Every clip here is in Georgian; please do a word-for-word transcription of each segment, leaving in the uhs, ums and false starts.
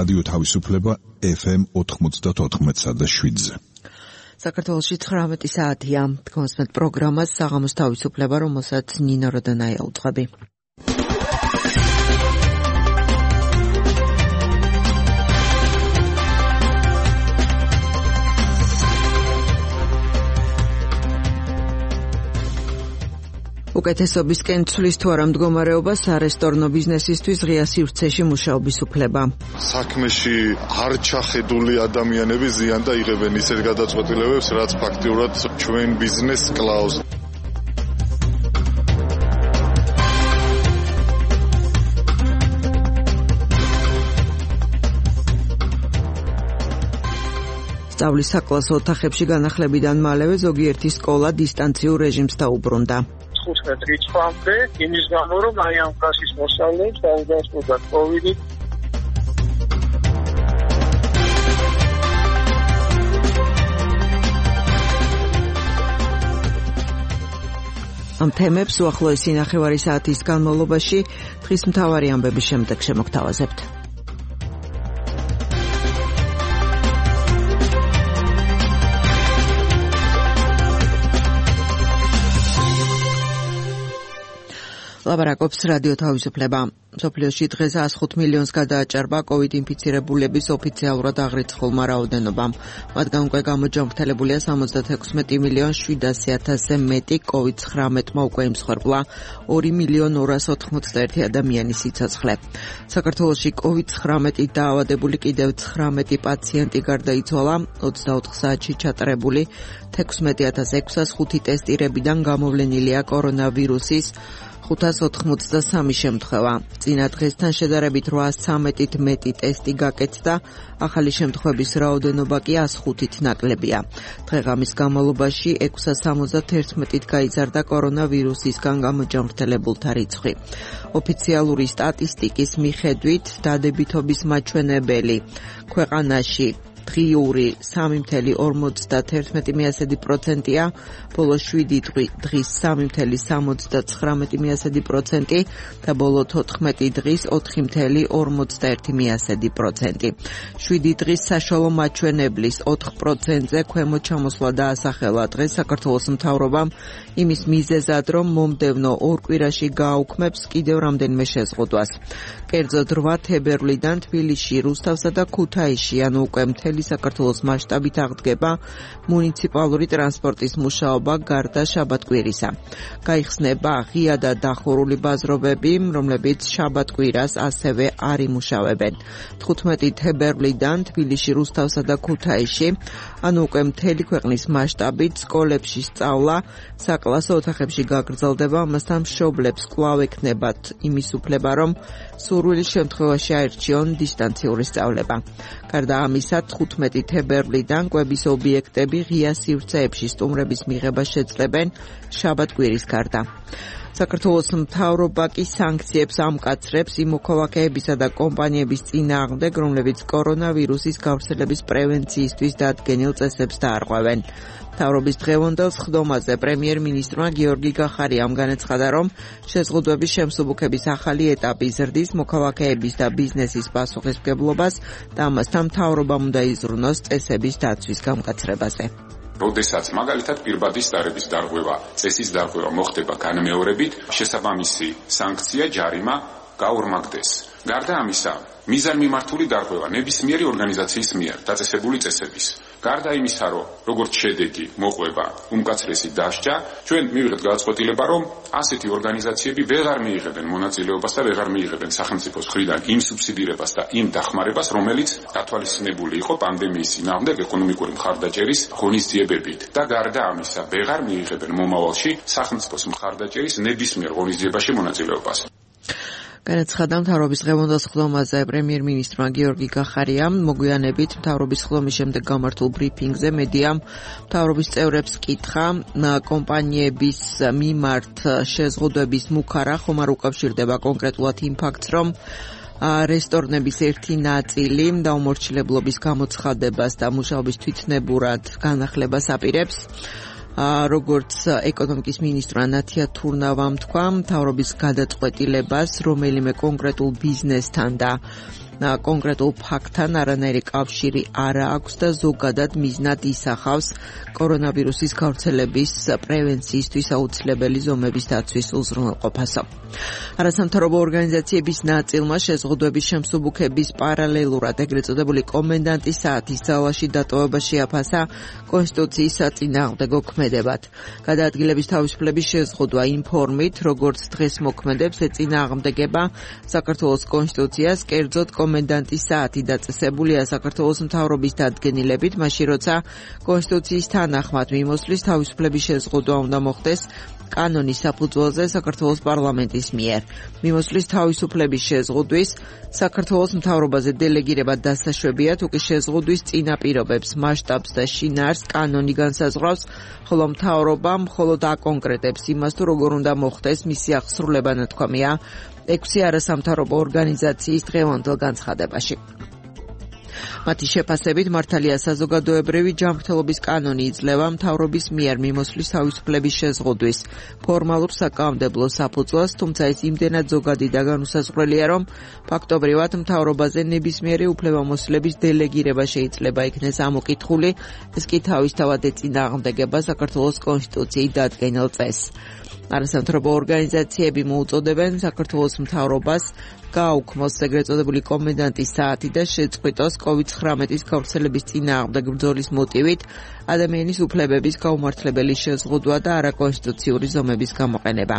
რადიო თავისუფლება ეფ ემ ოთხმოცდაოთხ და შვიდზე. საქართველოში ცხრამეტი საათია. თქვენს პროგრამას საღამოს თავისუფლება, რომელსაც ნინო როდანაია უძღვები. უკეთესობისკენ ცვლის თუ არა მდგომარეობა სარესტორნო ბიზნესისთვის ღია სივრცეში მუშაობის უფლება. საქმეში არ ჩახედული ადამიანები ზიან და იღებენ ისეთ გადაწყვეტილებებს, რაც ფაქტიურად ჩვენ ბიზნესს კლავს. სწავლის საკლასო ოთახებში განახლებიდან მალევე ზოგიერთი სკოლა დისტანციურ რეჟიმს დაუბრუნდა. თხუთმეტ რიცხვამდე, იმის გამო, რომ აი ამ კლასის მოსწავლეებს დაუდასტურდათ კოვიდი. ამ თემებს უახლოესი ნახევარი საათის განმავლობაში დღის მთავარი ამბების შემდეგ შემოგთავაზებთ. ლაბარაკობს რადიო თავისუფლება. მსოფლიოში დღეს ას ხუთ მილიონს გადააჭარბა კოვიდ ინფიცირებულების ოფიციალურად აღრიცხულმა რაოდენობამ. მათგან უკვე გამოჯანმრთელებულია სამოცდათექვსმეტი მილიონი შვიდასი ათასზე მეტი, კოვიდ ცხრამეტმა უკვე იმსხვერპლა ორი მილიონი ორასი ოთხმოცდაერთი ადამიანის სიცოცხლე. საქართველოში კოვიდ ცხრამეტით დაავადებული კიდევ ცხრამეტი პაციენტი გარდაიცვალა, ოცდაოთხ საათში ჩატარებული თექვსმეტი ათას ექვსას ხუთი ტესტირებიდან გამოვლენილია კორონავირუსის ხუთას ოთხმოცდასამი შემთხვევა. წინა დღესთან შედარებით რვაას ცამეტით მეტი ტესტი გაკეთდა, ახალი შემთხვევების რაოდენობა კი ას ხუთით ნაკლებია. დღეღამის განმავლობაში ექვსას სამოცდაერთმეტით გაიზარდა კორონავირუსისგან გამოჯანმრთელებულთა რიცხვი. ოფიციალური სტატისტიკის მიხედვით დადებითობის მაჩვენებელი ქვეყანაში დღიური სამი მცდარი ორმოცდაერთმეტი პროცენტია, ბოლო შვიდი დღის სამი მცდარი სამოცდაცხრამეტი პროცენტი და ბოლო თოთხმეტი დღის ოთხი მცდარი ორმოცდაერთი პროცენტი. შვიდი დღის საშუალო მაჩვენებლის ოთხ პროცენტზე ქვემო ჩამოსვლა დაასახელა დღეს საქართველოს მთავრობამ იმის მიზეზად, რომ მომდევნო ორ კვირაში გააუქმებს კიდევ რამდენიმე შეზღუდვას. კერძოდ რვა თებერვლიდან თბილისში, რუსთავსა და ქუთაისში, ანუ უკვე მთელი საქართველოს მასშტაბით აღდგება მუნიციპალური ტრანსპორტის მუშაობა გარდა შაბათ-კვირისა. გაიხსნება ღია და დახურული ბაზრობები, რომლებიც შაბათ-კვირას ასევე არ იმუშავებენ. თხუთმეტი თებერვლიდან თბილისში, რუსთავსა და ქუთაისში, ანუ უკვე მთელი ქვეყნის მასშტაბით სკოლებში სწავლა საკლასო ოთახებში გაგრძელდება, ამასთან მშობლებს კვლავ ექნებათ იმის უფლება, რომ სურვილის შემთხვევაში აერჩიონ დისტანციური სწავლება. გარდა ამისა, თხუთმეტი თებერვლიდან კვების ობიექტები ღია სივრცეებში სტუმრების მიღებას შეძლებენ შაბათ-კვირის გარდა. საქართველოს მთავრობა კი სანქციებს ამკაცრებს იმ მოქალაქეებისა და კომპანიების წინააღმდეგ, რომლებიც კორონავირუსის გავრცელების პრევენციისთვის დადგენილ წესებს დაარღვევენ. მთავრობის დღევანდელ სხდომაზე პრემიერ-მინისტრმა გიორგი გახარიამ განაცხადა, რომ შეზღუდვების შემსუბუქების ახალი ეტაპი ზრდის მოქალაქეების და ბიზნესის პასუხისმგებლობას და ამასთან მთავრობამ უნდა იზრუნოს წესების დაცვის გამკაცრებაზე. როდესაც მაგალითად პირბადის დარების დარღვევა, წესის დარღვევა მოხდება განმეორებით, შესაბამისი სანქცია ჯარიმა გაორმაგდეს. გარდა ამისა, მიზანმიმართული დარღვევა ნებისმიერი ორგანიზაციის მიერ დაწესებული წესების. გარდა იმისა, რომ როგორც შედეგი მოყვება უმკაცრესი დასჯა, ჩვენ მივიღეთ გადაწყვეტილება, რომ ასეთი ორგანიზაციები ვეღარ მიიღებენ მონაწილეობას და ვეღარ მიიღებენ სახელმწიფოს მხრიდან იმ სუბსიდირებას და იმ დახმარებას, რომელიც გათვალისწინებული იყო პანდემიის წინააღმდეგ ეკონომიკური მხარდაჭერის ღონისძიებებით. და გარდა ამისა, ვეღარ მიიღებენ მომავალში სახელმწიფოს მხარდაჭერის ნებისმიერ ღონისძიებაში მონაწილეობას. განაცხადა მთავრობის დღევანდელ სხდომაზე პრემიერ-მინისტრმა გიორგი გახარიამ. მოგვიანებით მთავრობის სხდომის შემდეგ გამართულ ბრიფინგზე მედიამ მთავრობის წევრებს კითხა კომპანიების მიმართ შეზღუდვების მუქარა ხომ არ უკავშირდება კონკრეტულად იმ ფაქტს, რომ რესტორნების ერთი ნაწილი დაუმორჩილებლობის გამოცხადებას და მუშაობის თვითნებურად განახლებას აპირებს. როგორც ეკონომიკის მინისტრმა ნათია თურნავამ თქვა, მთავრობის გადაწყვეტილებას რომელიმე კონკრეტულ ბიზნესთან და კონკრეტულ ფაქტთან არანაირი კავშირი არ აქვს და ზოგადად მიზნად ისახავს კორონავირუსის გავრცელების პრევენციისთვის აუცილებელი ზომების დაცვის უზრუნველყოფასა. არასამთავრობო ორგანიზაციების ნაწილმა შეზღუდვების შემსუბუქების პარალელურად ეგრეთ წოდებული კომენდანტის საათის ძალაში დატოვება შეაფასა კონსტიტუციის საწინააღმდეგო ქმედებად. გადაადგილების თავისუფლების შეზღუდვა იმ ფორმით, როგორც დღეს მოქმედებს, ეწინააღმდეგება საქართველოს კონსტიტუციას, კერძოდ კომენდანტის საათი დაწესებულია საქართველოს მთავრობის დადგენილებით, მაშინ როცა კონსტიტუციის თანახმად მიმოსვლის თავისუფლების შეზღუდვა უნდა მოხდეს კანონის საფუძველზე საქართველოს პარლამენტის მიერ. მიმოსვლის თავისუფლების შეზღუდვის საქართველოს მთავრობაზე დელეგირება დასაშვებია, თუ კი შეზღუდვის წინაპირობებს, მასშტაბს და შინაარსს კანონი განსაზღვრავს, ხოლო მთავრობა მხოლოდ აკონკრეტებს იმას, თუ როგორ უნდა მოხდეს მისი აღსრულება, ნათქვამია ექვსი არასამთავრობო ორგანიზაციის დღევანდელ განცხადებაში. მათი შეფასებით მართალია საზოგადოებრივი ჯანმრთელობის კანონი იძლევა მთავრობის მიერ მიმოსვლის თავისუფლების შეზღუდვის ფორმალურ საკანონმდებლო საფუძველს, თუმცა ეს იმდენად ზოგადი და განუსაზღვრელია, რომ ფაქტობრივად მთავრობაზე ნებისმიერი უფლებამოსილების დელეგირება შეიძლება იქნეს ამოკითხული, ეს კი თავისთავად ეწინააღმდეგება საქართველოს კონსტიტუციის დადგენილ წესს. არასამთავრობო ორგანიზაციები მოუწოდებენ საქართველოს მთავრობას გააუქმოს ეგრეთ წოდებული კომენდანტის საათი და შეწყვიტოს კოვიდ ცხრამეტის გავრცელების წინააღმდეგ ბრძოლის მოტივით ადამიანის უფლებების გაუმართლებელი შეზღუდვა და არაკონსტიტუციური ზომების გამოყენება.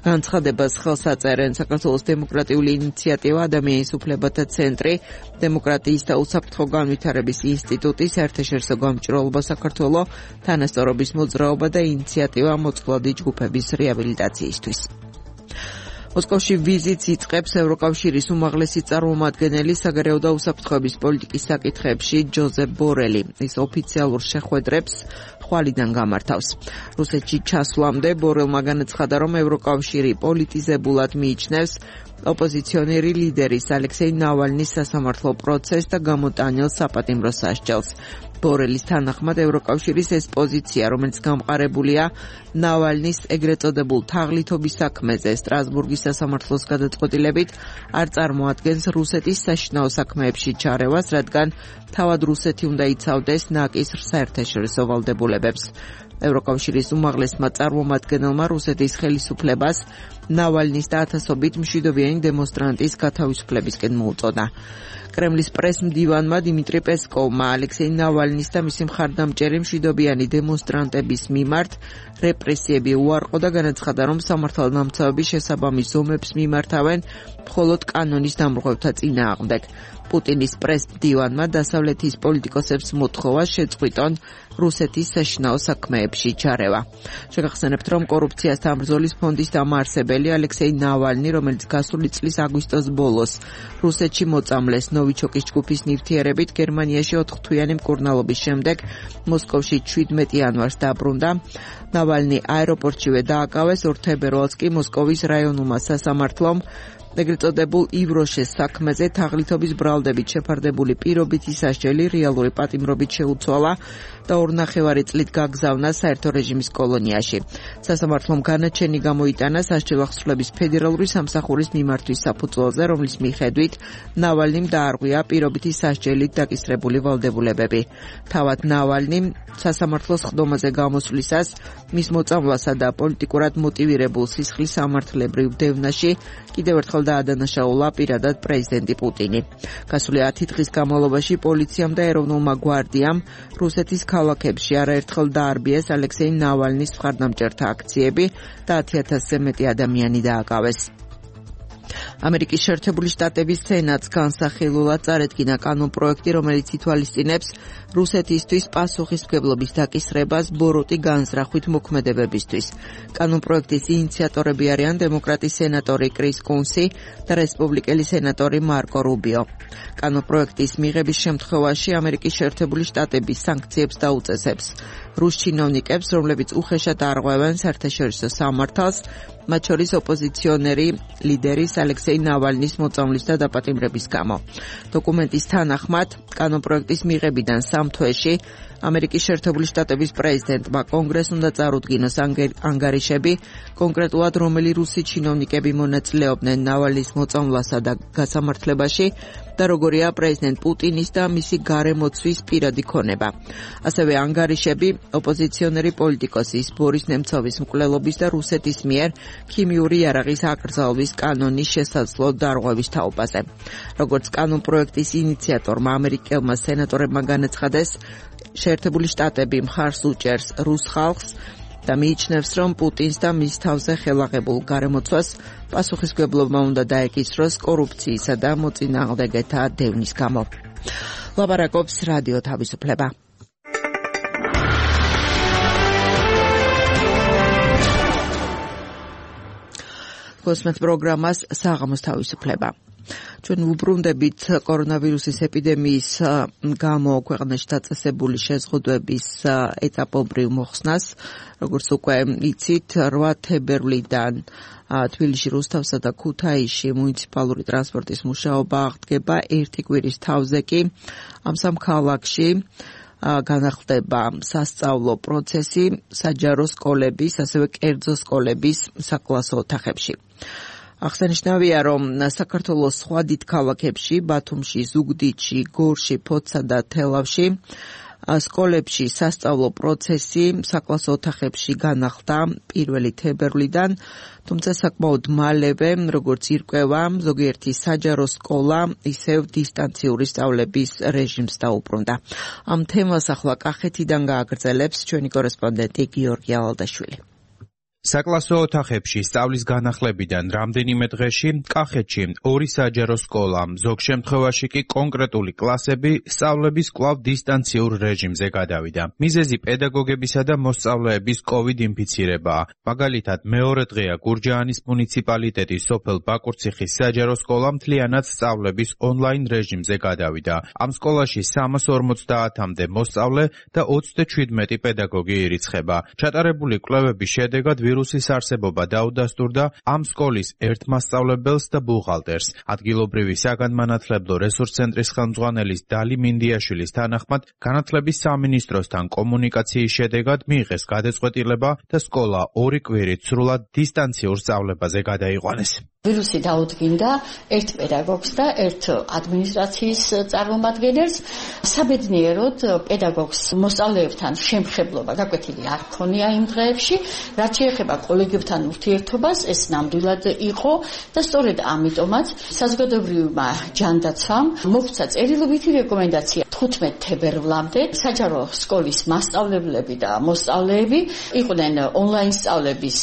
განცხადებას ხელს აწერენ საქართველოს დემოკრატიული ინიციატივა, ადამიანის უფლებათა ცენტრი, დემოკრატიის და უსაფრთხო განვითარების ინსტიტუტი, საერთაშორისო გამჭვირვალობა საქართველოს, თანასწორობის მოძრაობა და ინიციატივა მოწყვლადი ჯგუფების რეაბილიტაციისთვის. მოსკოვში ვიზიტს იწყებს ევროკავშირის უმაღლესი წარმომადგენელი საგარეო და უსაფრთხოების პოლიტიკის საკითხებში ჯოზეფ ბორელი. ის ოფიციალურ შეხვედრებს ხვალიდან გამართავს. რუსეთში ჩასვლამდე ბორელმა განაცხადა, რომ ევროკავშირი პოლიტიზებულად მიიჩნევს ოპოზიციონერი ლიდერის ალექსეი ნავალნის სასამართლო პროცესს და გამოტანილ საპატიმრო სასჯელს. ბორელის თანახმად ევროკავშირის ეს პოზიცია, რომელიც გამყარებულია ნავალნის ეგრეთ წოდებულ თაღლითობის საქმეზე სტრასბურგის სასამართლოს გადაწყვეტილებით, არ წარმოადგენს რუსეთის საშინაო საქმეებში ჩარევას, რადგან თავად რუსეთი უნდა იცავდეს ნაკისრ საერთაშორისო ვალდებულებებს. ევროკავშირის უმაღლესმა წარმომადგენელმა რუსეთის ხელისუფლებას ნავალნის და ათასობით მშვიდობიანი დემონსტრანტის გათავისუფლებისკენ მოუწოდა. კრემლის პრეს-მდივანმა დიმიტრი პესკოვმა ალექსეი ნავალნის და მისი მხარდამჭერი მშვიდობიანი დემონსტრანტების მიმართ რეპრესიები უარყო და განაცხადა, რომ სამართალდამცავები შესაბამის ზომებს მიმართავენ მხოლოდ კანონის დამრღვევთა წინააღმდეგ. პუტინის პრეს-მდივანმა დასავლეთის პოლიტიკოსებს მოთხოვა შეწყვიტონ რუსეთის საშინაო საქმეებში ჩარევა. შეგახსენებთ, რომ კორუფციასთან ბრძოლის ფონდის დამაარსებელი ალექსეი ნავალნი, რომელიც გასული წლის აგვისტოს ბოლოს რუსეთში მოწამლეს ნოვიჩოკის ჯგუფის ნივთიერებით, გერმანიაში ოთხთვიანი მკურნალობის შემდეგ მოსკოვში შვიდმეტი იანვარს დაბრუნდა. ნავალნი აეროპორტშივე დააკავეს, ორ თებერვალს კი მოსკოვის რაიონულმა სასამართლომ ეგრეთ წოდებულ ივროშეს საქმეზე თაღლითობის ბრალდებით შეფარდებული პირობითი სასჯელი რეალური პატიმრობით შეუცვალა და ორნახევარი წლით გაგზავნა საერთო რეჟიმის კოლონიაში. სასამართლომ განაჩენი გამოიტანა სასჯელახსრულების ფედერალური სამსახურის მიმართვის საფუძველზე, რომლის მიხედვით ნავალნიმ დაარღვია პირობითი სასჯელით დაკისრებული ვალდებულებები. თავად ნავალნიმ სასამართლოს ხდომაზე გამოსვლისას მის მოწამვლასა და პოლიტიკურად მოტივირებულ სისხლის სამართლებრივ დევნაში კიდევ ერთხელ დაადანაშაულა პირადად პრეზიდენტი პუტინი. გასული ათი დღის განმავლობაში პოლიციამ და ეროვნულმა გვარდიამ რუსეთის ქალაქებში არაერთხელ დაარბიეს ალექსეი ნავალნის მხარდამჭერთა აქციები და ათი ათასზე მეტი ადამიანი დააკავეს. ამერიკის შეერთებული შტატების სენატს განსახილულად წარედგინა კანონპროექტი, რომელიც ითვალისწინებს რუსეთისთვის პასუხისმგებლობის დაკისრებას ბოროტი განზრახვით მოქმედებებისთვის. კანონპროექტის ინიციატორები არიან დემოკრატი სენატორი კრის კუნსი და რესპუბლიკელი სენატორი მარკო რუბიო. კანონპროექტის მიღების შემთხვევაში ამერიკის შეერთებული შტატები სანქციებს დაუწესებს რუს ჩინოვნიკებს, რომლებიც უხეშად არღვევენ საერთაშორისო სამართალს, მათ შორის ოპოზიციონერი ლიდერის ალექსეი ნავალნის მოწამვლის და დაპატიმრების გამო. დოკუმენტის თანახმად, კანონპროექტის მიღებიდან სამ თვეში ამერიკის შეერთებული შტატების პრეზიდენტმა კონგრესს უნდა წარუდგინოს ანგარიშები, კონკრეტულად რომელი რუსი ჩინოვნიკები მონაწილეობდნენ ნავალნის მოწამვლასა და გასამართლებაში და როგორია პრეზიდენტ პუტინის და მისი გარემოცვის პირადი ქონება. ასევე ანგარიშები ოპოზიციონერი პოლიტიკოსის ბორის ნემცოვის მკვლელობის და რუსეთის მიერ ქიმიური იარაღის აკრძალვის კანონის შესაძლო დარღვევის თაობაზე. როგორც კანონპროექტის ინიციატორმა ამერიკელმა სენატორებმა განაცხადეს, შეერთებული შტატები მხარს უჭერს რუს ხალხს და მიიჩნევს, რომ პუტინს და მის თავზე ხელაღებულ გარემოცვას პასუხისმგებლობა უნდა დაეკისროს კორუფციისა და მოწინააღმდეგეთა დევნის გამო. ლაპარაკობს რადიო თავისუფლება. გოსმეთ პროგრამას საღამოს თავისუფლება. ჩვენ ვუბრუნდებით კორონავირუსის ეპიდემიის გამო ქვეყანაში დაწესებული შეზღუდვების ეტაპობრივ მოხსნას, როგორც უკვე იცით, რვა თებერვლიდან თბილისში, რუსთავსა და ქუთაისში მუნიციპალური ტრანსპორტის მუშაობა აღდგება. ერთი კვირის თავზე კი ამ სამ ქალაქში განახლდება სასწავლო პროცესი საჯარო სკოლების, ასევე კერძო სკოლების საკლასო ოთახებში. აღსანიშნავია, რომ საქართველოს სხვა დიდ ქალაქებში, ბათუმში, ზუგდიდში, გორში, ფოთსა და თელავში სკოლებში სასწავლო პროცესი საკლასო ოთახებში განახლდა პირველი თებერვლიდან, თუმცა საკმაოდ მალევე, როგორც ირკვევა, ზოგიერთი საჯარო სკოლა ისევ დისტანციური სწავლების რეჟიმს დაუბრუნდა. ამ თემას ახლა კახეთიდან გააგრძელებს ჩვენი კორესპონდენტი გიორგი ალალდაშვილი. საკლასო ოთახებში სწავლის განახლებიდან რამდენიმე დღეში კახეთში ორი საჯარო სკოლა, ზოგ შემთხვევაში კი კონკრეტული კლასები სწავლების კვლავ დისტანციურ რეჟიმზე გადავიდა. მიზეზი პედაგოგებისა და მოსწავლეების კოვიდ ინფიცირებაა. მაგალითად, მეორე დღეა გურჯაანის მუნიციპალიტეტის სოფელ ბაკურციხის საჯარო სკოლა მთლიანად სწავლების ონლაინ რეჟიმზე გადავიდა. ამ სკოლაში სამას ორმოცდაათამდე მოსწავლე და ოცდაშვიდმეტი პედაგოგი ირიცხება. ჩატარებული კვლევების შედეგად ვირუსის არსებობა დაუდასტურდა ამ სკოლის ერთ მასწავლებელს და ბუღალტერს. ადგილობრივი საგანმანათლებლო რესურს ცენტრის ხელმძღვანელის დალი მინდიაშვილის თანახმად, განათლების სამინისტროსთან კომუნიკაციის შედეგად მიიღეს გადაწყვეტილება და სკოლა ორი კვირით სრულად დისტანციურ სწავლებაზე გადაიყვანეს. ვირუსი დაუდგინდა ერთ პედაგოგს და ერთ ადმინისტრაციის წარმომადგენელს. საბედნიეროდ პედაგოგს მოსწავლეებთან შემხებლობა გაკვეთილი არ ჰქონია იმ დღეებში, რაც შეეხება კოლეგებთან ურთიერთობას, ეს ნამდვილად იყო და სწორედ ამიტომაც საზოგადოებრივმა ჯანდაცვამ მოგვცა წერილობითი რეკომენდაცია თხუთმეტ თებერვლამდე საჯარო სკოლის მასწავლებლები და მოსწავლეები იყვნენ ონლაინ სწავლების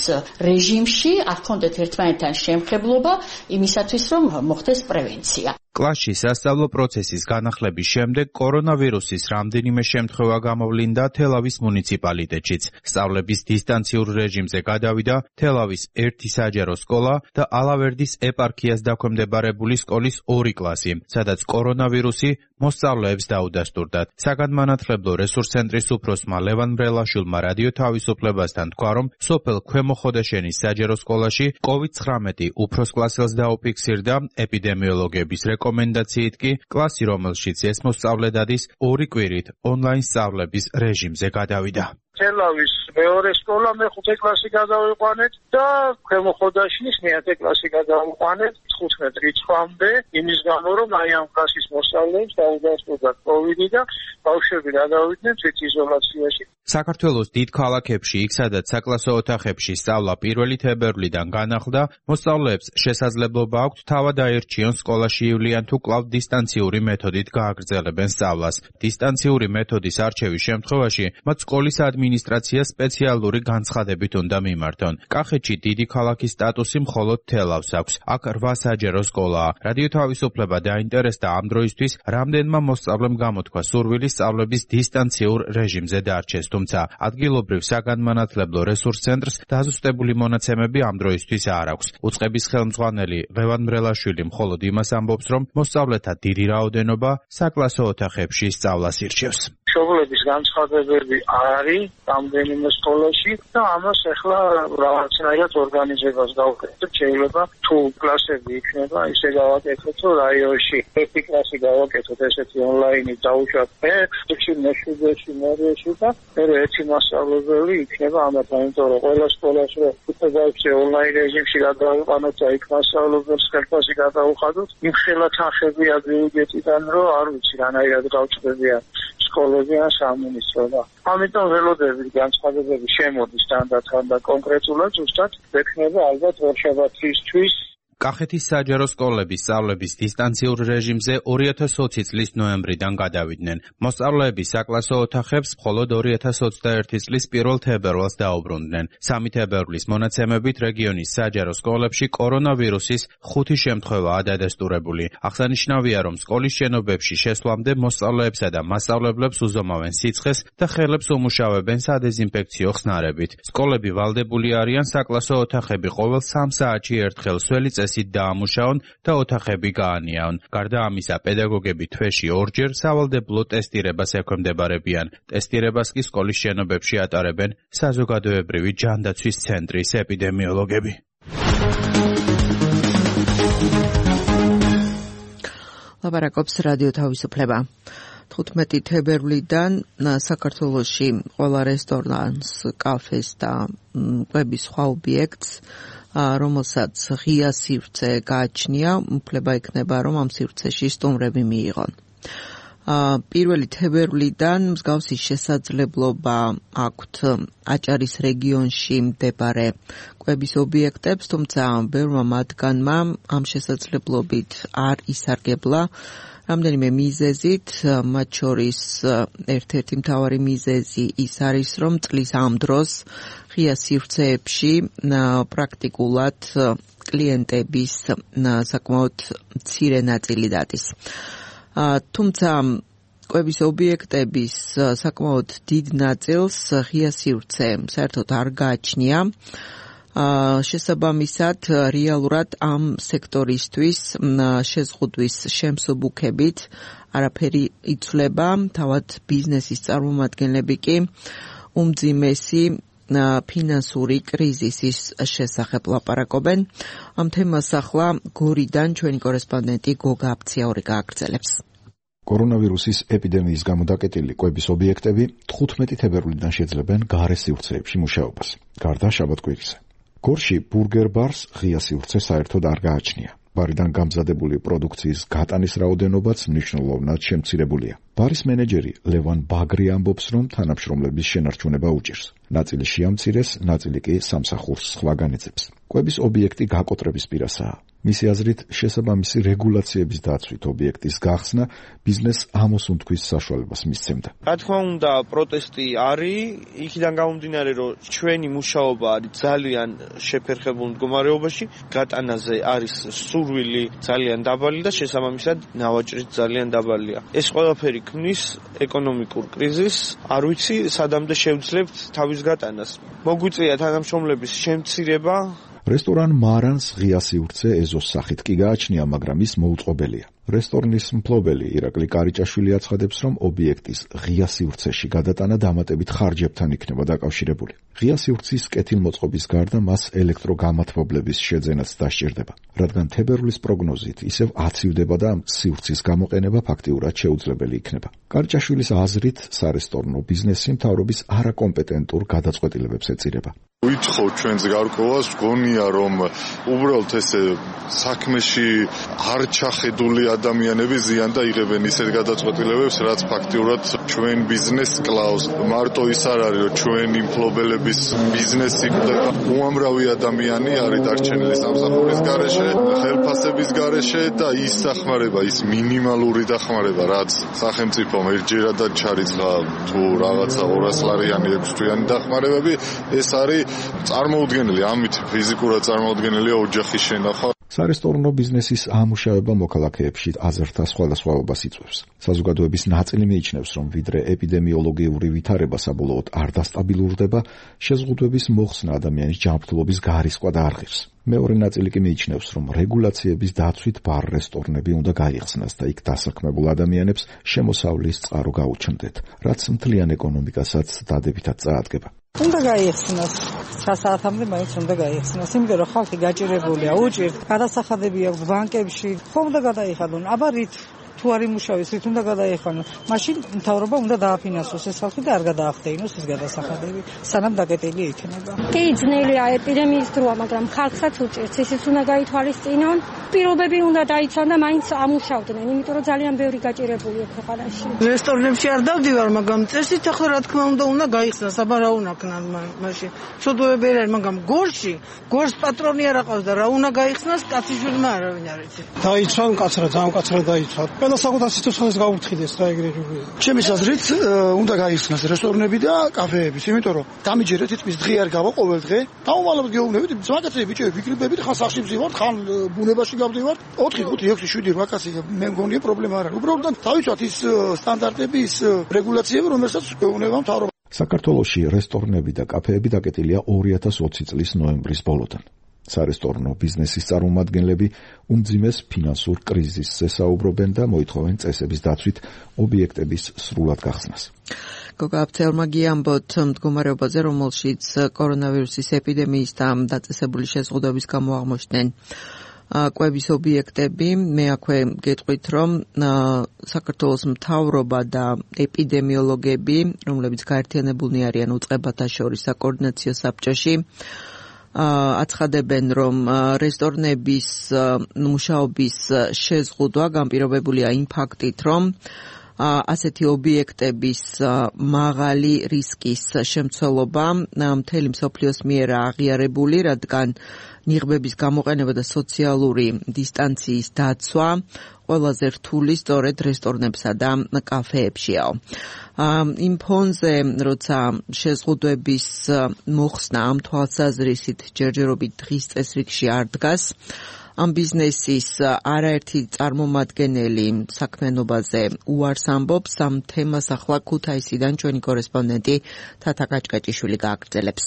რეჟიმში, არ ჰქონდათ ერთმანეთთან შემხებლობა იმისათვის, რომ მოხდეს პრევენცია. კლასში სასწავლო პროცესის განახლების შემდეგ კორონავირუსის რამდენიმე შემთხვევა გამოვლინდა თელავის მუნიციპალიტეტშიც. სწავლების დისტანციურ რეჟიმზე გადავიდა თელავის ერთი საჯარო სკოლა და ალავერდის ეპარქიას დაქვემდებარებული სკოლის ორი კლასი, სადაც კორონავირუსი მოსწავლეებს დაუდასტურდათ. საგანმანათლებლო რესურს ცენტრის უფროსმა ლევან მრელაშვილმა რადიო თავისუფლებასთან თქვა, რომ სოფელ ქვემო ხოდაშენის საჯარო სკოლაში კოვიდ ცხრამეტი უფროს კლასელს დაუფიქსირდა. ეპიდემიოლოგების რეკომენდაციით კი კლასი, რომელშიც ეს მოსწავლე დადის, ორი კვირით ონლაინ სწავლების რეჟიმზე გადავიდა. თელავის მეორე სკოლა მეხუთე კლასი გადავიყვანეთ და ქვემო ხოდაშინის მეათე კლასი გადავიყვანეთ თხუთმეტ რიცხვამდე, იმის გამო, რომ აი ამ კლასის მოსწავლეებს დაუდასტურდა კოვიდი და ბავშვები გადავიდნენ თვითიზოლაციაში. საქართველოს დიდ ქალაქებში, იქ სადაც საკლასო ოთახებში სწავლა პირველი თებერვლიდან განახლდა, მოსწავლეებს შესაძლებლობა აქვთ თავად აერჩიონ სკოლაში ივლიან თუ კვლავ დისტანციური მეთოდით გააგრძელებენ სწავლას. დისტანციური მეთოდის არჩევის შემთხვევაში მათ სკოლის ადმინისტრაცია სპეციალური განცხადებით უნდა მიმართონ. კახეთში დიდი ქალაქის სტატუსი მხოლოდ თელავს აქვს. აქ რვა საჯარო სკოლაა. რადიო თავისუფლება დაინტერესდა ამ დროისთვის რამდენმა მოსწავლემ გამოთქვა სურვილი სწავლების დისტანციურ რეჟიმზე დარჩეს, თუმცა ადგილობრივ საგანმანათლებლო რესურს ცენტრს დაზუსტებული მონაცემები ამ დროისთვის არ აქვს. უწყების ხელმძღვანელი ლევან მრელაშვილი მხოლოდ იმას ამბობს, რომ მოსწავლეთა დიდი რაოდენობა საკლასო ოთახებში სწავლას ირჩევს. მშობლების განცხადებები არის რამდენიმე სკოლაში და ამას ახლა რაღაცნაირად ორგანიზებას გავუკეთებთ. შეიძლება თუ კლასები იქნება, ისე გავაკეთოთ, რომ რაიონში ერთი კლასი გავაკეთოთ ესეთი ონლაინით დაუშვათ მეექვსეში, მეშვიდეში, მერვეში და მერე ერთი მასწავლებელი იქნება ამათთან, იმიტომ რომ ყველა სკოლას რომ უწევდავსე ონლაინ რეჟიმში გადავიყვანოთ და იქ მასწავლებელს ხელფასი გადავუხადოთ, იმ ხელა თანხებია ბიუჯეტიდან, რომ არ ვიცი რანაირად გავჭდებიან სკოლები ან სამინისტრო და ამიტომ ველოდებით განცხადებები შემოდის თანდათან და კონკრეტულად ზუსტად ექნება ალბათ ორშაბათისთვის. კახეთის საჯარო სკოლების სწავლების დისტანციურ რეჟიმზე ორი ათას ოცი წლის ნოემბრიდან გადავიდნენ. მოსწავლეები საკლასო ოთახებს მხოლოდ ორი ათას ოცდაერთი წლის პირველ თებერვალს დაუბრუნდნენ. სამი თებერვლის მონაცემებით რეგიონის საჯარო სკოლებში კორონავირუსის ხუთი შემთხვევაა დადასტურებული. აღსანიშნავია, რომ სკოლის შენობებში შესვლამდე მოსწავლეებსა და მასწავლებლებს უზომავენ სიცხეს და ხელებს უმუშავებენ სადეზინფექციო ხსნარებით. სკოლები ვალდებული არიან საკლასო ოთახები ყოველ სამ საათში ერთხელ სველი წესით დაამუშაონ და ოთახები გაანიაონ. გარდა ამისა, პედაგოგები თვეში ორჯერ სავალდებულო ტესტირებას ექვემდებარებიან. ტესტირებას კი სკოლის შენობებში ატარებენ საზოგადოებრივი ჯანდაცვის ცენტრის ეპიდემიოლოგები. ლაპარაკობს რადიო თავისუფლება. თხუთმეტი თებერვლიდან საქართველოში ყველა რესტორანს, კაფეს და კვების სხვა ობიექტს, რომელსაც ღია სივრცე გააჩნია, უფლება იქნება, რომ ამ სივრცეში სტუმრები მიიღონ. პირველი თებერვლიდან მსგავსი შესაძლებლობა აქვთ აჭარის რეგიონში მდებარე კვების ობიექტებს, თუმცა ბევრმა მათგანმა ამ შესაძლებლობით არ ისარგებლა რამდენიმე მიზეზით, მათ შორის ერთ-ერთი მთავარი მიზეზი ის არის, რომ წლის ამ დროს ღია სივრცეებში პრაქტიკულად კლიენტების საკმაოდ მცირე ნაწილი დადის. თუმცა კვების ობიექტების საკმაოდ დიდ ნაწილს ღია სივრცე საერთოდ არ გააჩნია. შესაბამისად, რეალურად ამ სექტორისთვის შეზღუდვის შემსუბუქებით არაფერი იცვლება, თავად ბიზნესის წარმომადგენლები კი უმძიმესი ფინანსური კრიზისის შესახებ ლაპარაკობენ. ამ თემას ახლა გორიდან ჩვენი კორესპონდენტი გოგა აფციაური გააგრძელებს. კორონავირუსის ეპიდემიის გამო დაკეტილი კვების ობიექტები თხუთმეტი თებერვლიდან შეძლებენ გარე სივრცეებში მუშაობას. გარდა შაბათ-კვირისა. გორში ბურგერ ბარს ღია სივრცე საერთოდ არ გააჩნია. ბარიდან გამზადებული პროდუქციის გატანის რაოდენობაც მნიშვნელოვნად შემცირებულია. ბარის მენეჯერი ლევან ბაგრი ამბობს, რომ თანამშრომლების შენარჩუნება უჭირს. ნაწილი შეამცირეს, ნაწილი კი სამსახურს სხვა განეძებს. კვების ობიექტი გაკოტრების პირასაა. მისი აზრით, შესაბამისი რეგულაციების დაცვით ობიექტის გახსნა ბიზნეს ამოსუნთქვის საშუალებას მისცემდა. რა თქმა უნდა, პროტესტი არის, იქიდან გამომდინარე, რომ ჩვენი მუშაობა არის ძალიან შეფერხებულ მდგომარეობაში, გატანაზე არის სურვილი ძალიან დაბალი და შესაბამისად ნავაჭრიც ძალიან დაბალია. ეს ყველაფერი ქმნის ეკონომიკურ კრიზისს, არ ვიცი, სადამდე შევძლებთ თავის გატანას. მოგვიწია თანამშრომლების შემცირება. რესტორან მარანს ღია სივრცე ეზოს სახით კი გააჩნია, მაგრამ ის მოუწყობელია. რესტორნის მფლობელი ირაკლი კარიჭაშვილი აცხადებს, რომ ობიექტის ღია სივრცეში გადატანა დამატებით ხარჯებთან იქნება დაკავშირებული. ღია სივრცის კეთილმოწყობის გარდა მას ელექტროგამათბობლების შეძენაც დასჭირდება, რადგან თებერვლის პროგნოზით ისევ აცივდება და სივრცის გამოყენება ფაქტიურად შეუძლებელი იქნება. კარიჭაშვილის აზრით, სარესტორნო ბიზნესი მთავრობის არაკომპეტენტურ გადაწყვეტილებებს ეწირება. ვითხოვ ჩვენს გარკვევას, გონია რომ უბრალოდ ესე საქმეში არ ჩახედული ადამიანები ზიან და იღებენ ისეთ გადაწყვეტილებებს, რაც ფაქტიურად ჩვენ ბიზნესს კლავს. მარტო ის არ არის, რომ ჩვენი მფლობელების ბიზნესი კვდება. უამრავი ადამიანი არის დარჩენილი სამსახურის გარეშე, ხელფასების გარეშე და ის დახმარება, ის მინიმალური დახმარება, რაც სახელმწიფომ ერთჯერადად ჩარიცხა თუ რაღაცა ორას ლარიანი, ექვს თვიანი დახმარებები, ეს არის წარმოუდგენელი, ამით ფიზიკურად წარმოუდგენელია ოჯახის შენახვა. სარესტორნო ბიზნესის ამუშავება მოქალაქეებში აზრთა სხვადასხვაობას იწვევს. საზოგადოების ნაწილი მიიჩნევს, რომ ვიდრე ეპიდემიოლოგიური ვითარება საბოლოოდ არ დასტაბილურდება, შეზღუდვების მოხსნა ადამიანის ჯანმრთელობის გარისკვა და არღირს. მეორე ნაწილი კი მიიჩნევს, რომ რეგულაციების დაცვით ბარ-რესტორნები უნდა გაიხსნას და იქ დასაქმებულ ადამიანებს შემოსავლის წყარო გაუჩნდეთ, რაც მთლიან ეკონომიკასაც დადებითად წაადგება. უნდა გაიხსნას, სასაათამდე მაინც უნდა გაიხსნას, იმიტომ რომ ხალხი გაჭირებულია, უჭირთ, გადასახადები აქვს ბანკებში, ხომ უნდა გადაიხადონ, აბა რით თუ არ იმუშავეს, რით უნდა გადაიხადონ, მაშინ მთავრობა უნდა დააფინანსოს ეს ხალხი და არ გადაახდეინოს ეს გადასახადები, სანამ დაკეტილი იქნება. კი, ძნელია ეპიდემიის დროა, მაგრამ ხალხსაც უჭირს, ისიც უნდა გაითვალისწინონ, პირობები უნდა დაიცვან და მაინც ამუშავდნენ, იმიტომ რომ ძალიან ბევრი გაჭირებულია ქვეყანაში. რესტორნებში არ დავდივარ, მაგრამ წესით ახლა რა თქმა უნდა უნდა გაიხსნას, აბა რა უნდა ქნან მაშინ. შოდოები არ არის, მაგრამ გორში, გორს პატრონი არ აყავს და რა უნდა გაიხსნას, კაციშვილმა არავინ არ იცი. დაიცვან კაცრა, ძალიან კაცრა დაიცვან. ყველა საკუთარ სიცოცხლეს გაუფრთხილდეს რა ეგრე. ჩემი აზრით უნდა გაიხსნას რესტორნები და კაფეები, იმიტომ რომ დამიჯერეთ თითქმის დღე არ გავა ყოველ დღე. დაუვალებთ გეუბნებით, მაგაცები ბიჭები, ვიკრიბებით, ხან სახში ვზივართ, ხან ბუნებაში გავდივართ. ოთხი, ხუთი, ექვსი, შვიდი, რვა კაცი მე მგონია პრობლემა არ არის. უბრალოდ დავიცვათ ის სტანდარტები, ის რეგულაციები, რომელსაც გვეუბნება მთავრობა. საქართველოში რესტორნები და კაფეები დაკეტილია ორი ათას ოცი წლის ნოემბრის ბოლოდან. სარესტორნო ბიზნესის წარმომადგენლები უმძიმეს ფინანსურ კრიზისზე საუბრობენ და მოითხოვენ წესების დაცვით ობიექტების სრულად გახსნას. გოგა აფცელმა გიამბოთ მდგომარეობაზე, რომელშიც კორონავირუსის ეპიდემიის და დაწესებული შეზღუდვების გამო აღმოჩნდნენ კვების ობიექტები. მე აქვე გეტყვით, რომ საქართველოს მთავრობა და ეპიდემიოლოგები, რომლებიც გაერთიანებულნი არიან უწყებათა შორის საკოორდინაციო საბჭოში, აცხადებენ, რომ რესტორნების მუშაობის შეზღუდვა განპირობებულია იმ ფაქტით, რომ ასეთი ობიექტების მაღალი რისკის შემცველობა მთელი მსოფლიოს მიერ აღიარებული, რადგან ნიღბების გამოყენება და სოციალური დისტანციის დაცვა ყველაზე რთული სწორედ რესტორნებსა და კაფეებშიაო. იმ ფონზე, როცა შეზღუდვების მოხსნა ამ თვალსაზრისით ჯერჯერობით დღის წესრიგში არ დგას, ამ ბიზნესის არაერთი წარმომადგენელი საქმიანობაზე უარს ამბობს. ამ თემას ახლა ქუთაისიდან ჩვენი კორესპონდენტი თათა კაჭკაჭიშვილი გააგრძელებს.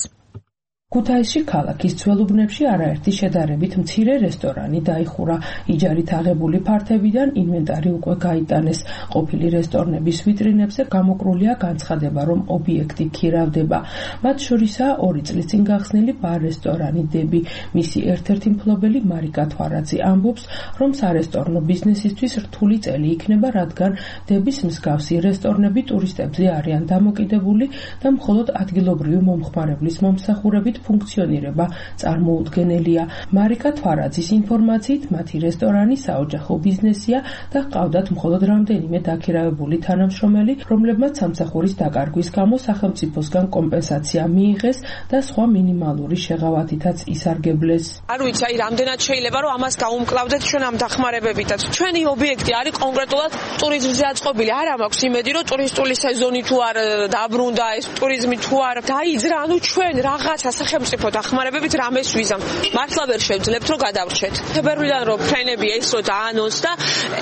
ქუთაისში ქალაქის ძველუბნებში არაერთი შედარებით მცირე რესტორანი დაიხურა. იჯარით აღებული ფართებიდან ინვენტარი უკვე გაიტანეს. ყოფილი რესტორნების ვიტრინებზე გამოკრულია განცხადება, რომ ობიექტი ქირავდება. მათ შორისაა ორი წლის წინ გახსნილი ბარ-რესტორანი დები. მისი ერთ-ერთი მფლობელი მარიკა თვარაძე ამბობს, რომ სარესტორნო ბიზნესისთვის რთული წელი იქნება, რადგან დების მსგავსი რესტორნები ტურისტებზე არიან დამოკიდებული და მხოლოდ ადგილობრივი მომხმარებლის მომსახურებით ფუნქციონირება წარმოუდგენელია. მარიკა თვარაძის ინფორმაციით, მათი რესტორანი საოჯახო ბიზნესია და ჰყავდათ მხოლოდ რამდენიმე დაქირავებული თანამშრომელი, რომლებმაც სამსახურის დაკარგვის გამო სახელმწიფოსგან კომპენსაცია მიიღეს და სხვა მინიმალური შეღავათითაც ისარგებლეს. არ ვიცი, აი რამდენად შეიძლება რომ ამას გაუმკლავდეთ ჩვენ ამ დახმარებებითაც. ჩვენი ობიექტი არის კონკრეტულად ტურიზმზე აწყობილი. არა მაქვს იმედი, რომ ტურისტული სეზონი თუ არ დაბრუნდა, ეს ტურიზმი თუ არ დაიძრა, ანუ ჩვენ რაღაცა სახელმწიფო დახმარებებით რამეს ვიზამ. მართლა ვერ შევძლებთ რომ გადავრჩეთ. თებერვლიდან რომ ფრენები ეს რო დაანონსდა,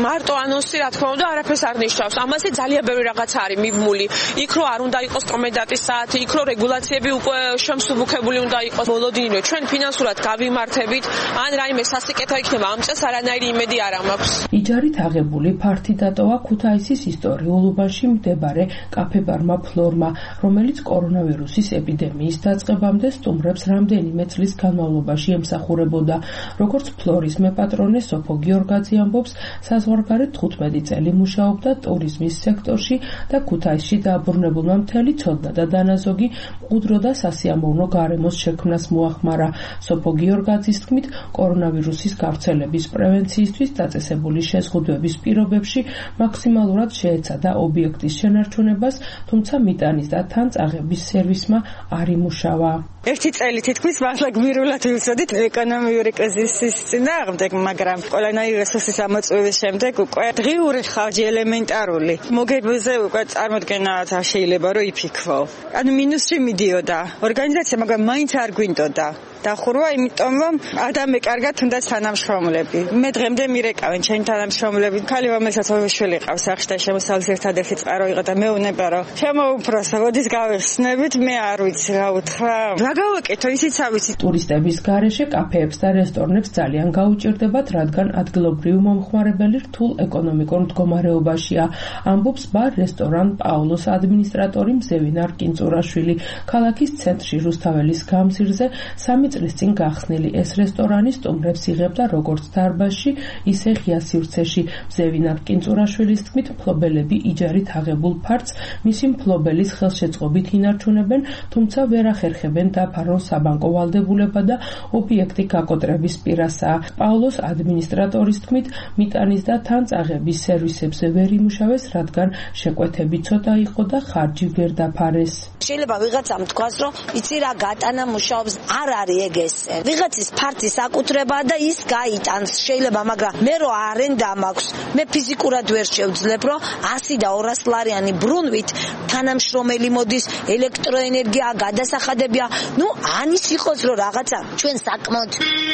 მარტო ანონსი რა თქმა უნდა არაფერს არ ნიშნავს. ამაზე ძალიან ბევრი რაღაცა არის მიბმული. იქ რო არ უნდა იყოს კომენდანტის საათი, იქ რო რეგულაციები უკვე შემსუბუქებული უნდა იყოს. მოლოდინივე ჩვენ ფინანსურად გავიმართებით, ან რაიმე სასიკეთო იქნება ამ წელს არანაირი იმედი არ მაქვს. იჯარით აღებული ფართი დატოვა ქუთაისის ისტორიულ უბანში მდებარე კაფე-ბარმა ფლორმა, რომელიც კორონავირუსის ეპიდემიის დაწყებამდე სტუმრებს რამდენიმე წლის განმავლობაში ემსახურებოდა. როგორც ფლორის მეპატრონე სოფო გიორგაძე ამბობს, საზღვარგარეთ თხუთმეტი წელი მუშაობდა ტურიზმის სექტორში და ქუთაისში დააბრუნებულმა მთელი ცოდნა და დანაზოგი მყუდრო და სასიამოვნო გარემოს შექმნას მოახმარა. სოფო გიორგაძის თქმით, კორონავირუსის გავრცელების პრევენციისთვის დაწესებული შეზღუდვების პირობებში მაქსიმალურად შეეცადა ობიექტის შენარჩუნებას, თუმცა მიტანის და თან წაღების სერვისმა არ იმუშავა. ერთი წელი თითქმის მართლა გმირულად ვივსოდით ეკონომიური კრიზისის წინააღმდეგ, მაგრამ ყველანაირი რესურსის ამოწურვის შემდეგ უკვე დღიური ხარჯი ელემენტარული მოგებაზე უკვე წარმოდგენაც არ შეიძლება რომ იფიქრო. ანუ მინუსში მიდიოდა ორგანიზაცია, მაგრამ მაინც არ გვინდოდა. დახურვა, იმიტომ რომ ადამე კარგად თუნდაც თანამშრომლები. მე დღემდე მირეკავენ ჩემი თანამშრომლები. ქალი რომელსაც ორი შვილი ყავს სახში და შემოსავლის ერთადერთი წყარო იყო და მეუნება რომ შემოუფროსა, მოდის გავიხსნებით, მე არ ვიცი რა უთხრა. რა გავაკეთო, ისიც ავიცი. ტურისტების გარეშე კაფეებს და რესტორნებს ძალიან გაუჭირდებათ, რადგან ადგილობრივი მომხმარებელი რთულ ეკონომიკურ მდგომარეობაშია. ამბობს ბარ რესტორან პაულოს ადმინისტრატორი მზევინა რკინწურაშვილი. ქალაქის ცენტრში რუსთაველის გამზირზე სამი წლის წინ გახსნილი ეს რესტორანი სტუმრებს იღებდა როგორც დარბაზში, ისე ღია სივრცეში. მზევინა რკინწურაშვილის თქმით, მფლობელები იჯარით აღებულ ფართს მისი მფლობელის ხელშეწყობით ინარჩუნებენ, თუმცა ვერ ახერხებენ დაფარონ საბანკო ვალდებულება და ობიექტი გაკოტრების პირასაა. პაულოს ადმინისტრატორის თქმით, მიტანის და თანწაღების სერვისებზე ვერ იმუშავეს, რადგან შეკვეთები ცოტა იყო და ხარჯი ვერ დაფარეს. შეიძლება ვიღაცამ თქვას, რომ იცი რა გატანა მუშაობს, არ არის ეგ ესე. ვიღაცის ფართის აკუთრებაა და ის გაიტანს, შეიძლება, მაგრამ მე რო არენდა მაქვს, მე ფიზიკურად ვერ შევძლებ, რომ ასი და ორას ლარიანი ბრუნვით თანამშრომელი მოდის, ელექტროენერგია, გადასახადებია. ნუ ანის იყოს, რომ რაღაცა ჩვენ საკმაოდ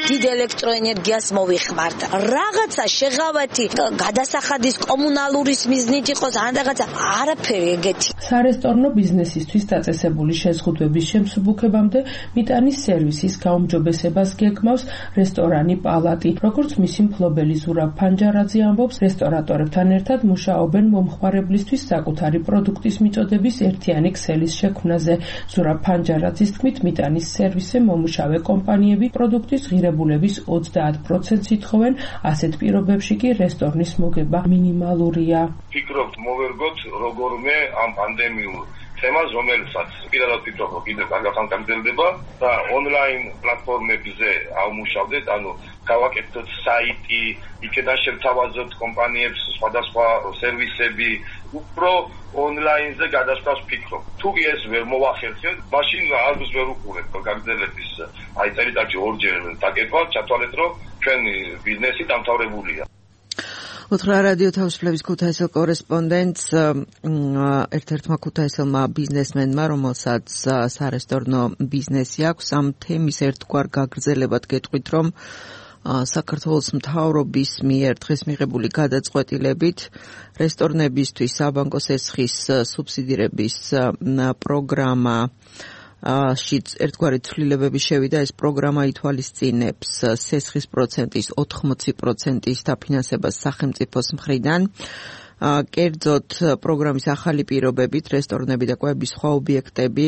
დიდ ელექტროენერგიას მოვიხმართ. რაღაცა შეღავათი გადასახადის კომუნალურის მიზნით იყოს, ან რაღაცა არაფერი ეგეთი. სარესტორნო ბიზნესისთვის დაწესებული შეზღუდვების შემსუბუქებამდე მიტანის სერვისის გაუმჯობესებას გეგმავს რესტორანი პალატი. როგორც მისი მფლობელი ზურაბ ფანჯარაძე ამბობს, რესტორატორებთან ერთად მუშაობენ მომხმარებლისთვის საკუთარი პროდუქტის მიწოდების ერთიანი ქსელის შექმნაზე. ზურაბ ფანჯარაძის თქმით, მიტანის სერვისზე მომუშავე კომპანიები პროდუქტის ღირებულების ოცდაათ პროცენტს ითხოვენ, ასეთ პირობებში კი რესტორნის მოგება მინიმალურია. ფიქრობთ მოვერგოთ როგორმე ამ პანდემიურ თემას, რომელსაც პირადად ვფიქრობ, რომ კიდევ კარგად გაგრძელდება და ონლაინ პლატფორმებზე ავმუშავდეთ, ანუ გავაკეთოთ საიტი, იქიდან შევთავაზოთ კომპანიებს სხვადასხვა სერვისები, უფრო ონლაინზე გადასვლას ვფიქრობ. თუ ეს ვერ მოვახერხეთ, მაშინ არც ვერ უყურებ გაგრძელების აი წელიწადში ორჯერ დაკეთვა, ჩათვალეთ, რომ ჩვენი ბიზნესი დამთავრებულია. უთხრა რადიო თავისუფლების ქუთაისელ კორესპონდენტს ერთ-ერთმა ქუთაისელმა ბიზნესმენმა, რომელსაც სარესტორნო ბიზნესი აქვს, ამ თემის ერთგვარ გაგრძელებად გეტყვით, რომ საქართველოს მთავრობის მიერ დღეს მიღებული გადაწყვეტილებით რესტორნებისთვის საბანკო სესხის სუბსიდირების პროგრამა შიც ერთგვარი ცვლილებები შევიდა. ეს პროგრამა ითვალისწინებს სესხის პროცენტის ოთხმოცი პროცენტის დაფინანსებას სახელმწიფოს მხრიდან. კერძოდ პროგრამის ახალი პირობებით რესტორნები და კვების სხვა ობიექტები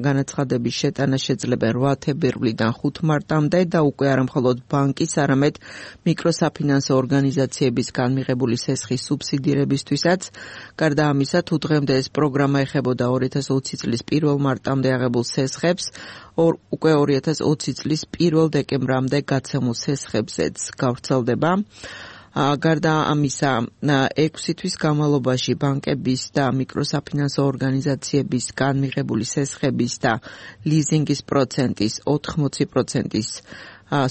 განაცხადების შეტანა შეძლებენ რვა თებერვლიდან ხუთ მარტამდე და უკვე არა მხოლოდ ბანკის, არამედ მიკროსაფინანსო ორგანიზაციებისგან მიღებული სესხის სუბსიდირებისთვისაც. გარდა ამისა, თუ დღემდე ეს პროგრამა ეხებოდა ორი ათას ოცი წლის პირველ მარტამდე აღებულ სესხებს, უკვე ორი ათას ოცი წლის პირველ დეკემბრამდე გაცემულ სესხებზეც გავრცელდება. გარდა ამისა, ექვსი თვის განმავლობაში ბანკების და მიკროსაფინანსო ორგანიზაციებისგან მიღებული სესხების და ლიზინგის პროცენტის ოთხმოცი პროცენტის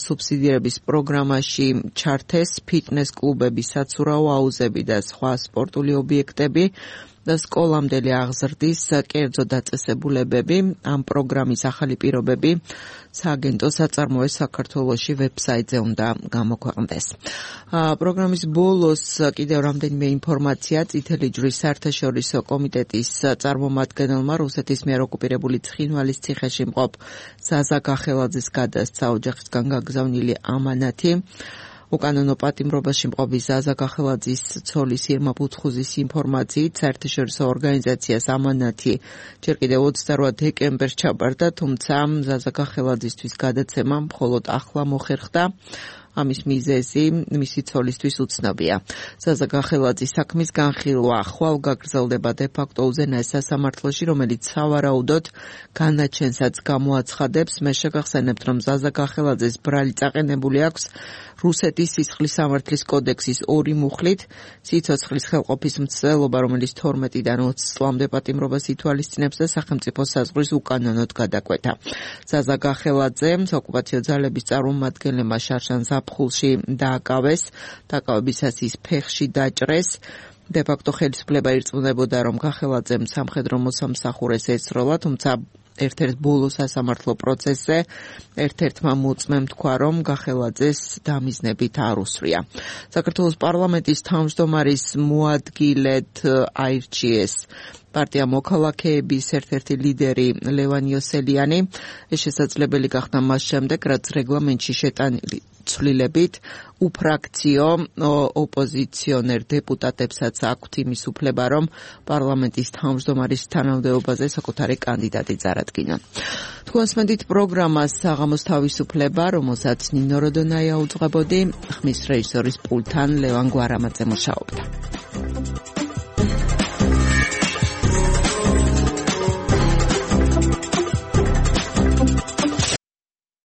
სუბსიდირების პროგრამაში ჩართეს ფიტნეს კლუბები, საცურაო აუზები და სხვა სპორტული ობიექტები და სკოლამდელი აღზრდის კერძო დაწესებულებები. ამ პროგრამის ახალი პირობები სააგენტო საწარმოეს საქართველოში ვებსაიტზე უნდა გამოქვეყნდეს. პროგრამის ბოლოს კიდევ რამდენიმე ინფორმაცია. წითელი ჯვრის საერთაშორისო კომიტეტის წარმომადგენელმა რუსეთის მიერ ოკუპირებული ცხინვალის ციხეში მყოფ ზაზა გახელაძეს გადასცა ოჯახისგან გაგზავნილი ამანათი. უკანონო პატიმრობაში მყოფი ზაზა გახელაძის ცოლის ირმა ბუთხუზის ინფორმაციით საერთაშორისო ორგანიზაციას ამანათი ჯერ კიდევ ოცდარვა დეკემბერს ჩაბარდა, თუმცა ზაზა გახელაძისთვის გადაცემა მხოლოდ ახლა მოხერხდა. ამის მიზეზი მისი ცოლისთვის უცნობია. ზაზა გახელაძის საქმის განხილვა ხვალ გაგრძელდება დე-ფაქტო უზენაეს სასამართლოში, რომელიც სავარაუდოდ განაჩენსაც გამოაცხადებს. მე შეგახსენებთ, რომ ზაზა გახელაძეს ბრალი წაყენებული აქვს რუსეთის სისხლის სამართლის კოდექსის ორი მუხლით, სიცოცხლის ხელყოფის მცდელობა, რომელიც თორმეტიდან ოცი წლამდე პატიმრობას ითვალისწინებს და სახელმწიფო საზღვრის უკანონოდ გადაკვეთა. ზაზა გახელაძემ ოკუპაციო ძალების წარმომადგენლებმა შარშან ზაფხულში დააკავეს, დაკავებისას ის ფეხში დაჭრეს. დე-ფაქტო ხელისუფლება ირწმუნებოდა, რომ გახელაძემ სამხედრო მოსამსახურეს ესროლა, თუმცა ერთ-ერთ ბოლო სასამართლო პროცესზე ერთ-ერთმა მოწმემ თქვა, რომ გახელაძეს დამიზნებით არ უსრია. საქართველოს პარლამენტის თავმჯდომარის მოადგილედ აირჩიეს პარტია მოქალაქეების ერთ-ერთი ლიდერი ლევან იოსელიანი. ეს შესაძლებელი გახდა მას შემდეგ, რაც რეგლამენტში შეტანილი ცვლილებით უფრაქციო ოპოზიციონერ დეპუტატებსაც აქვთ იმის უფლება, რომ პარლამენტის თავმჯდომარის თანამდებობაზე საკუთარი კანდიდატი წარადგინონ. თქვენს მედით პროგრამას საღამოს თავისუფლება, რომელსაც ნინო როდონაია უძღვებოდი, ხმის რეჟისორის პულტთან ლევან გვარამაძე მუშაობდა.